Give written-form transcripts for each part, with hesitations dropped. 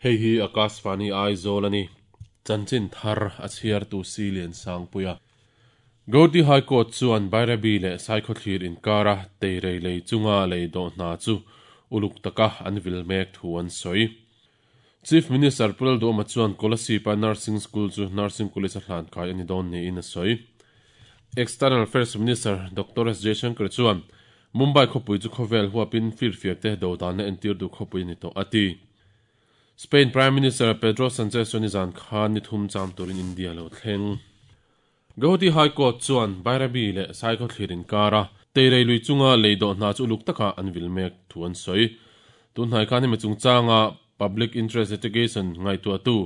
Hei hi Akashvani Aizawl a ni. Chanchin thar a chhiartu Silian Sangpuia. Gauhati High Court chuan Bairabi leh Saikhawthlir inkara teirei lei chunga lei dawh hna chu uluk taka an vil mek thu an sawi. Chief Minister Pu Lalduhawma chuan Kolasib-a Nursing School chu Nursing College a hlan kai a ni dawn niin a sawi. External Affairs Minister Doctor S Jaishankar chuan Mumbai khawpui chu khawvel huapin firfiakte dodanna entir duh khawpui a ni tawh a ti. Spain Prime Minister Pedro Sanchez chuan nizan khan ni thum cham turin India lo thleng. Gauhati High Court chuan Bairabi leh Saikhawthlir inkara Teirei lui chunga lei dawh hna chu uluk taka an vil mek thu an sawi. Tunhnai khan hemi chungchanga Public Interest Litigation ngaihtuahtu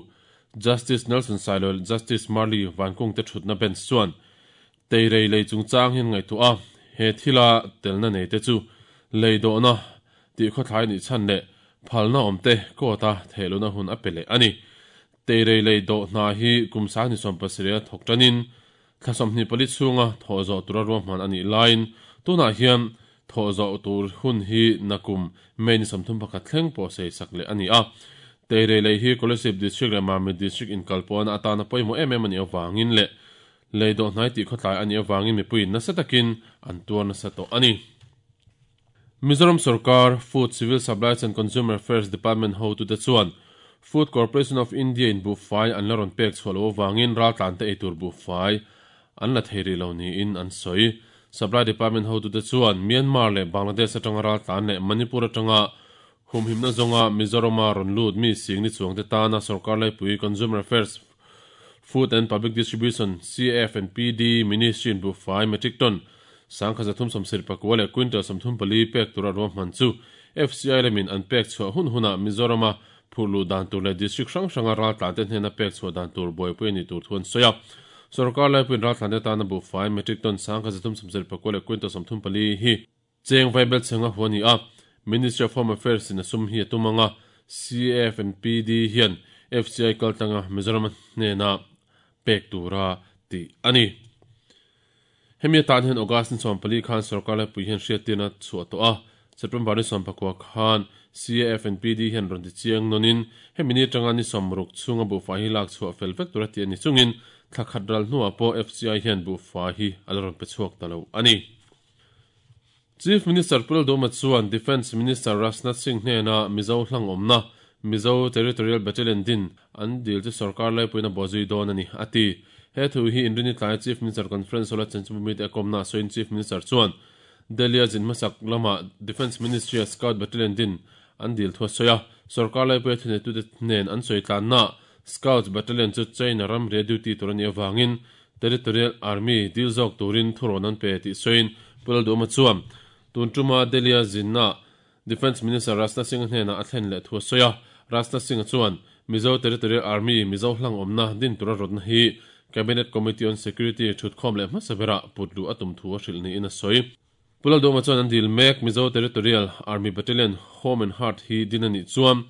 Justice Nelson Sailo leh Justice Marli Vankung te thutna bench chuan Teirei lei chungchang hian ngaihtuah a, he thila telna nei te chu lei dawhna tih khawthlai nih chhan leh phalna awm te court-a thehlohna hun a pe leh a ni. Teirei lei dawh hna hi kum 27 a thawk tanin thla 24 chhunga thawh zawh tura ruahman a nih laiin tunah hian thawh zawh tur hun hi nakum May ni 31 thleng pawh sei sak leh a ni a. Teirei lei hi Kolasib District leh Mamit District inkalpawhna atana pawimawh em em a nih avangin leh Lei dawh hnai tih khawtlai a nih avangin mipuiin nasa takin an tuar nasa tawh a ni. Mizoram sorkar Food, Civil Supplies and Consumer Affairs Department hotute chuan Food Corporation of India in buhfai an la rawn pek chhuah loh avangin raltlante eitur buhfai an la thei rih lo niin an sawi. Supply Department hotute chuan Myanmar leh Bangladesh atanga raltlan leh Manipur atanga humhimna zawnga Mizorama rawn lut mi singni chuangte tana sorkar laipui Consumer Affairs Food and Public Distribution, CAF and PD, Ministry in buhfai metric ton 1374 leh quintal 34 pek tura ruahman chu FCI lamin an pek chhuah hun hunah Mizorama phurh luh dan tur leh district hrang hranga raltlante hnena pek chhuah dan tur buaipui a nih tur thu an sawi a. Sorkar laipuiin raltlante tana buhfai metric ton 1374 leh quintal 34 hi Cheng Vaibel chhenga hu a ni a, Ministry of Home Affairs in a sum hi a tum ang a, CAF and PD hian FCI kaltlanga Mizoram hnena pek tura tih a ni. Hemi atan hian August ni 14 khan sorkar laipui hian hriattirna chhuah tawh a, September ni 19 khan CAF and PD hian rawn ti chiang nawnin hemi ni atanga ni 60 chhunga buhfai hi lak chhuah fel vek tura tih a ni chungin thla khat ral hnuah pawh FCI hian buhfai hi a la rawn pe chhuak ta lo a ni. Chief Minister Pu Lalduhoma chuan Defence Minister Rajnath Singh hnena Mizo hlang awmna Mizo Territorial Battalion din an dil chu sorkar laipuiin a bawhzui dawn a ni, a ti. He thu hi Inrini tlaia Chief Minister Conference Hall-a Chanchinbhumi te a kawmna a sawiin Chief Minister chuan Delhi-a zin hmasak lama Defence Ministry-a Scout Battalion din an dil thu a sawi a, sorkar laipuia thuneitute hnen an sawi tlannaah Scouts Battalion chu China ramria duty tur a nih avangin Territorial Army dil zawk turin thurawn an pe tih sawiin Pu Lalduhoma chuan tun tuma Delhi-a zinna Defence Minister Rajnath Singh-a hnenah a thlen leh thu a sawi a. Rajnath Singh-a chuan Mizo Territorial Army Mizo hlang awmna din tura rawtna hi Cabinet Committee on Security thutkhawm leh hmasa berah put luh a tum thu a hrilh niin a sawi. Pu Lalduhoma chuan an dil mek Mizo Territorial Army Battalion Home and Heart hi din a nih chuan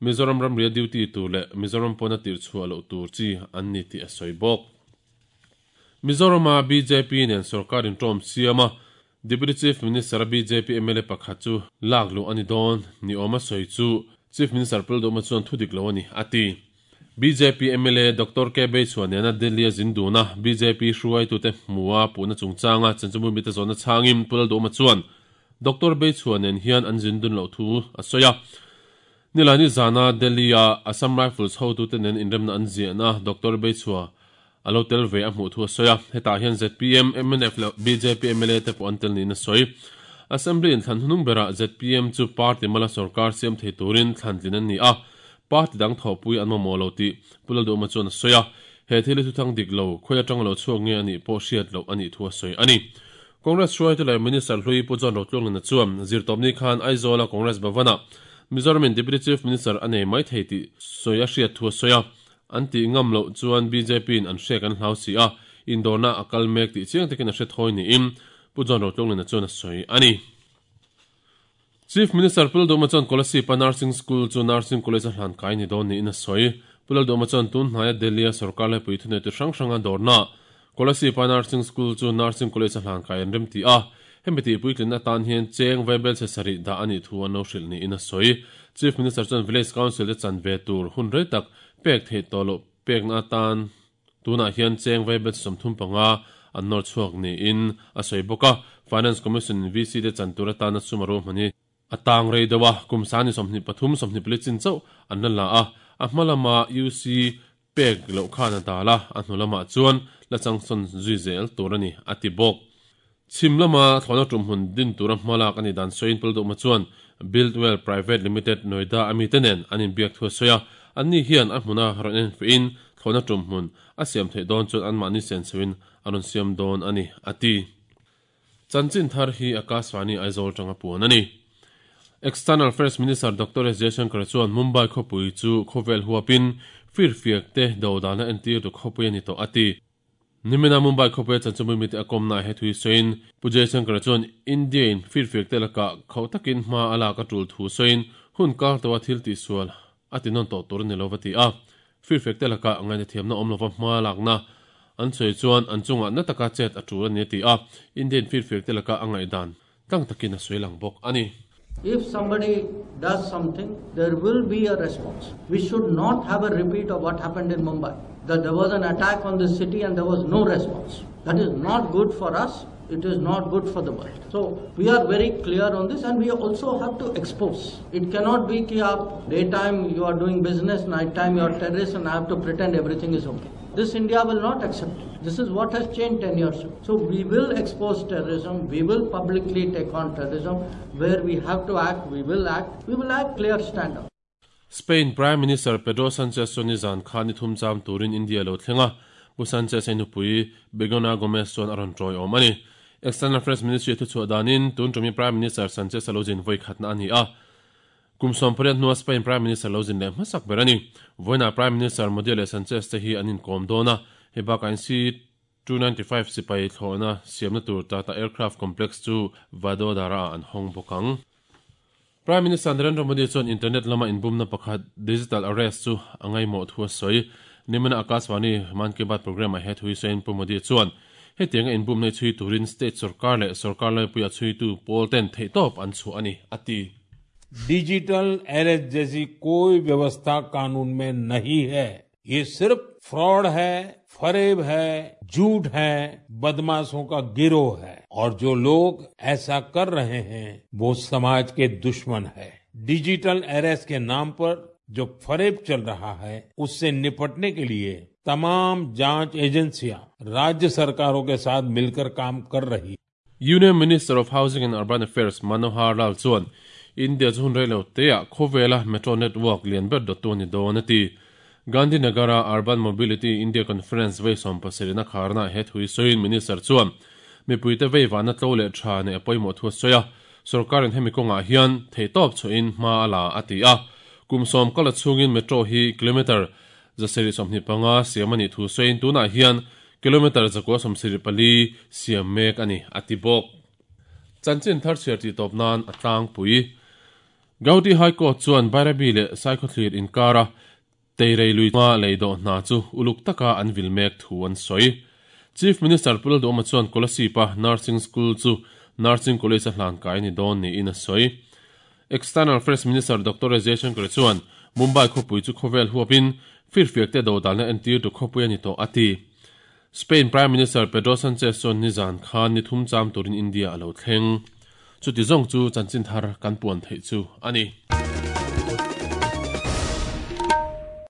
Mizoram ramria duty tur leh Mizoram pawna tirh chhuah loh tur chi an ni tih a sawi bawk. Mizorama bjp nen sorkar intawm siam a, Deputy Chief Minister-a bjp mla pakhat chu lak luh a ni dawn ni awm a sawi chu Chief Minister Pu Lalduhoma chuan thu dik lo a ni, a ti. Bjp mla Doctor K Beichhuah nena Delhi-a zin dun a, bjp hruaitute hmua puhna chungchanga chanchinbu mite zawhna chhangin Pu Lalduhoma chuan Doctor Beichhuah nen hian an zin dun loh thu a sawi a. Nilani zana Delhi-a Assam Rifles hotute nen inremna an ziahna Doctor Beichhua a lo tel ve a hmuh thu a sawi a, hetah hian zpm, mnf leh bjp mla te pawh an tel niin a sawi. Assembly inthlan hnung berah zpm chu party mala sorkar siam thei turin thlan tlin an ni a, party dang thawhpui an mamawh lo tih Pu Lalduhma chuan a sawi a, he thil hi thuthang dik lo, khawi atanga lo chhuak nge a nih pawh hriat loh a nih thu a sawi a ni. Congress hruaitu leh Minister hlui Pu John Rotluanglina chuan zirtawpni khan Aizawla Congress Bhavan-ah Mizoramin Deputy Chief Minister a nei mai thei tih sawi a hriat thu a sawi a, an tih ngam loh chuan BJP-in an hrek an hlau si a, indawrna a kal mek tih chiang takin a hre thawi niin Pu John Rotluanglina chuan a sawi a ni. Chief Minister Pu Lalduhma chuan Kolasib-a Nursing School chu Nursing College a hlan kai ni dawn niin a sawi. Pu Lalduhma chuan tun hnaia Delhi-a sorkar laipui thuneitu hrang hranga dawrnaah Kolasib-a Nursing School chu Nursing College a hlan kai an rem ti a. Hemi tihpuitlinna atan hian cheng vaibelchhe sarih dah a nih thu an lo hrilh niin a sawi. Chief Minister chuan Village Council te chan ve tur hun rei tak pek theih tawh loh pekna atan tunah hian cheng vaibelchhe 35 an nawr chhuak niin a sawi bawk a. Finance Commission in VC te chan tur atana sum a ruahman hi a tang rei deuh a, kum sani 23, 24 chin chauh an la la a, a hma lama UC pek loh khan a dal a, a hnu lamah chuan la changsawn zui zel tur a ni, a ti bawk. Chhim lama thlawhna tumhmun din tura hma lak a nih dan sawiin Paldawhma chuan Buildwell Private Limited, Noida a mite nen an inbiak thu a sawi a, anni hian a hmuna rawn enfiahin thlawhna tumhmun a siam theih dawn chuan anmahni senchhoin a rawn siam dawn a ni, a ti. Chanchin thar hi Akashvani Aizawl tanga puan a ni. External Affairs Minister Doctor S Jaishankar chuan Mumbai khawpui chu khawvel huapin firfiak te dodalna entirtu khawpui a ni tawh a ti. Nimina Mumbai khawpuia chanchinbui mite a kawmnaah he thu hi sawiin Pu Jaishankar chuan India in firfiak te lakah khauh takin hma a lak a tul thu sawiin hun kar tawha thil tihsual a ti nawn tawh tur a ni lo va ti a. Firfiak te lakah ngainathiamna awm lova hma lakna an sawi chuan an chungah na taka chet a tul a ni a ti a, Indian firfiak te laka a ngaihdan tlang takin a sawi lang bawk a ni. If somebody does something, there will be a response. We should not have a repeat of what happened in Mumbai, that there was an attack on the city and there was no response. That is not good for us, it is not good for the world. So we are very clear on this and we also have to expose. It cannot be ki aap daytime you are doing business, night time you are terrorist and I have to pretend everything is okay. This India will not accept it. This is what has changed 10 years ago. So we will expose terrorism, we will publicly take on terrorism. Where we have to act, we will act. We will act clear stand up. Spain Prime Minister Pedro Sanchez chuan nizan khan ni thum cham turin India lo thleng a, Pu Sanchez a nupui Begona Gomez chuan a rawn tawiawm a ni. External Affairs Ministry thuchhuah danin tun tumi Prime Minister Sanchez a lo zin vawi khatna a ni a. Kum 18 hnua Spain Prime Minister lo zin leh hmasak ber a ni. Vawiinah Prime Minister Modi leh Sanchez te hi an inkawm dawn a, hei bakah in C-295 sipai thlawhna siamna tur Tata Aircraft Complex chu Vadodara-ah an hawng bawk ang. Prime Minister Narendra Modi chuan internet lama inbumna pakhat digital arrest chu a ngaihmawh thu a sawi. Nimina Akashvani Mann Ki Baat programme-ah he thu hi sawiin Pu Modi chuan hetianga inbumna hi chhui turin state sorkar leh sorkar laipuia chhuitu pawl ten theihtawp an chhuah a ni, a ti. Digital arrest जैसी कोई व्यवस्था कानून में नहीं है। ये सिर्फ फ्रॉड है, फरेब है, झूठ है, बदमाशों का गिरोह है और जो लोग ऐसा कर रहे हैं वो समाज के दुश्मन है। डिजिटल अरेस्ट के नाम पर जो फरेब चल रहा है उससे निपटने के लिए तमाम जांच एजेंसियां राज्य सरकारों के साथ मिलकर काम कर रही। Union Minister of Housing and Urban Affairs Manohar Lal chuan India chu hun reilo teah khawvela metro network lian ber dawttu a ni dawn a ti. Gandhinagar-a Urban Mobility India Conference vei 70 a kharnaah he thu hi sawiin Minister chuan mipuite vei vahna tlo leh tha neih a pawimawh thu a sawi a, sorkarin hemi kawngah hian theihtawp chhuahin hma a la a ti a. Kum 10 kala chhungin metro hi kilometre 125 siam a nih thu sawiin tunah hian kilometre 174 siam mek a ni a ti bawk. Chanchin thar chhiar tih tawp nan a tlangpui. Gauhati High Court chuan Bairabi leh Saikhawthlir inkara Teirei lui hma lei dawh hna chu uluk taka an vil mek thu an sawi. Chief Minister Pu Lalduhawma chuan Kolasib-a Nursing School chu Nursing College a hlan kai a ni dawn niin a sawi. External Affairs Minister Doctor S Jaishankar chuan Mumbai khawpui chu khawvel huapin firfiakte dodalna entirtu khawpui a ni tawh a ti. Spain Prime Minister Pedro Sanchez chuan nizan khan ni thum cham turin India a lo thleng. Chuti zawng chu chanchin thar kan puan theih chu a ni.